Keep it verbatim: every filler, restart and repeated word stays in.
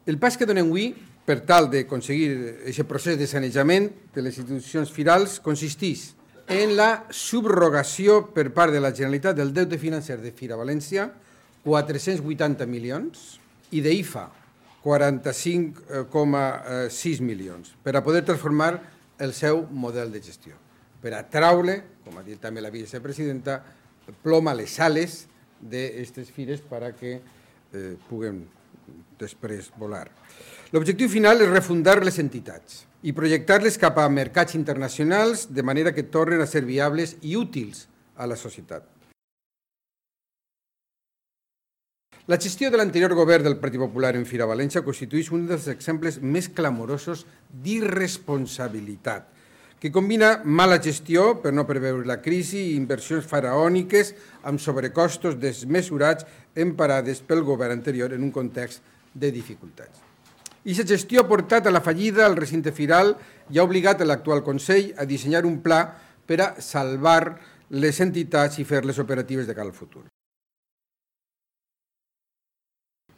El pas que donem avui, per tal d'aconseguir aquest procés de sanejament de les institucions firals, consisteix en la subrogació per part de la Generalitat del deute financer de Fira València, quatre-cents vuitanta milions, i d'I F A, quaranta-cinc coma sis milions, per a poder transformar el seu model de gestió, per a traure, com ha dit també la vicepresidenta, plom a les ales d'aquestes fires perquè eh, puguem després volar. L'objectiu final és refundar les entitats i projectar-les cap a mercats internacionals de manera que tornen a ser viables i útils a la societat. La gestió de l'anterior govern del Partit Popular en Fira València constitueix un dels exemples més clamorosos d'irresponsabilitat, que combina mala gestió per no preveure la crisi i inversions faraòniques amb sobrecostos desmesurats emparades pel govern anterior en un context de dificultats. I aquesta gestió ha portat a la fallida al recinte firal i ha obligat l'actual Consell a dissenyar un pla per a salvar les entitats i fer-les operatives de cara al futur.